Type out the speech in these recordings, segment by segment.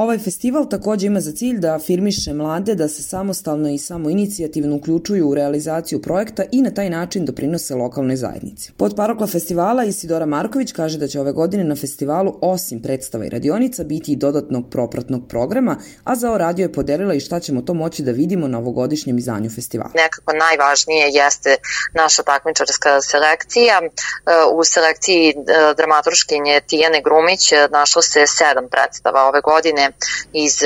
Ovaj festival takođe ima za cilj da afirmiše mlade da se samostalno i samoinicijativno uključuju u realizaciju projekta i na taj način doprinose lokalnoj zajednici. Potparokla festivala Isidora Marković kaže da će ove godine na festivalu osim predstava i radionica biti i dodatnog propratnog programa, a za radio je podelila i šta ćemo to moći da vidimo na ovogodišnjem izdanju festivala. Nekako najvažnije jeste naša takmičarska selekcija. U selekciji dramaturškinje Tijane Grumić našlo se 7 predstava ove godine iz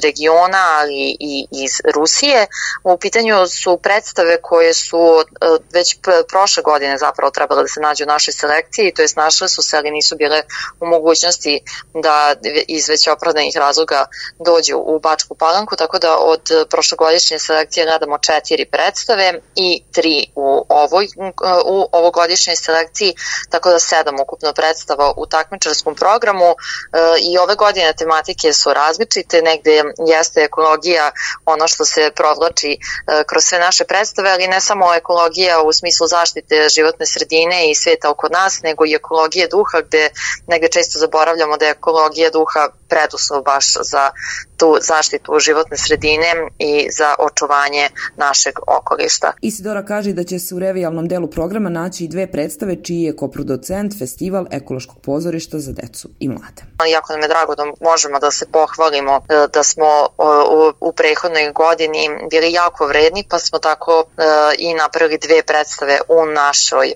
regiona, ali i iz Rusije. U pitanju su predstave koje su već prošle godine zapravo trebale da se nađu u našoj selekciji, to jest našle su se, ali nisu bile u mogućnosti da iz već opravdanih razloga dođu u Bačku Palanku, tako da od prošlogodišnje selekcije gledamo 4 predstave i 3 u ovogodišnjoj selekciji, tako da 7 ukupno predstava u takmičarskom programu i ove godine tematike su različite, negde jeste ekologija ono što se provlači kroz sve naše predstave, ali ne samo ekologija u smislu zaštite životne sredine i sveta oko nas, nego i ekologije duha, gde negde često zaboravljamo da je ekologija duha preduslov baš za tu zaštitu životne sredine i za očuvanje našeg okoliša. Isidora kaže da će se u revijalnom delu programa naći i 2 predstave čiji je koproducent Festival ekološkog pozorišta za decu i mlade. Jako nam je drago da možemo da se pohvalimo da smo u prethodnoj godini bili jako vredni, pa smo tako i napravili 2 predstave u našoj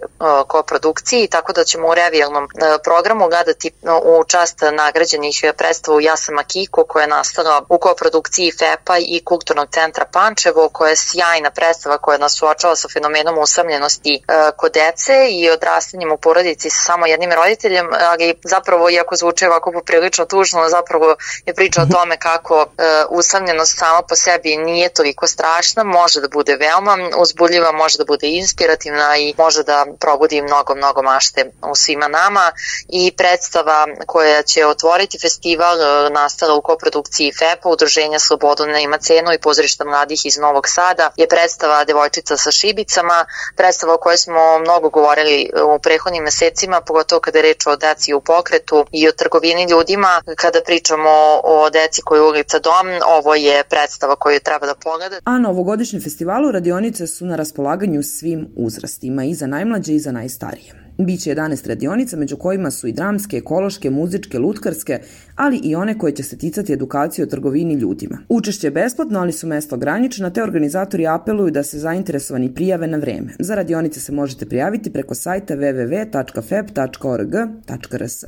koprodukciji, tako da ćemo u revijalnom programu gledati u čast nagrađenih predstava Ja sam Akiko, koja je nastala u koprodukciji FEP-a i Kulturnog centra Pančevo, koja je sjajna predstava koja nas suočava sa fenomenom usamljenosti kod dece i odrastanjem u porodici sa samo jednim roditeljem, ali zapravo, iako zvuči ovako poprilično tužno, zapravo je priča o tome kako usamljenost sama po sebi nije toliko strašna, može da bude veoma uzbudljiva, može da bude inspirativna i može da probudi mnogo mašte u svima nama. I predstava koja će otvoriti festival, nastala u koprodukciji FEP-a, Udruženja Slobodu ne ima cenu i Pozorišta mladih iz Novog Sada, je predstava Devojčica sa šibicama, predstava o kojoj smo mnogo govorili u prethodnim mesecima, pogotovo kada je reč o deci u pokretu i o trgovini ljudima. Kada pričamo o deci koju je ulica dom, ovo je predstava koju treba da pogledate. A na ovogodišnjem festivalu radionice su na raspolaganju svim uzrastima, i za najmlađe i za najstarije. Biće 11 radionica, među kojima su i dramske, ekološke, muzičke, lutkarske, ali i one koje će se ticati edukacije o trgovini ljudima. Učešće je besplatno, ali su mesta ograničena, te organizatori apeluju da se zainteresovani prijave na vreme. Za radionice se možete prijaviti preko sajta www.feb.org.rs.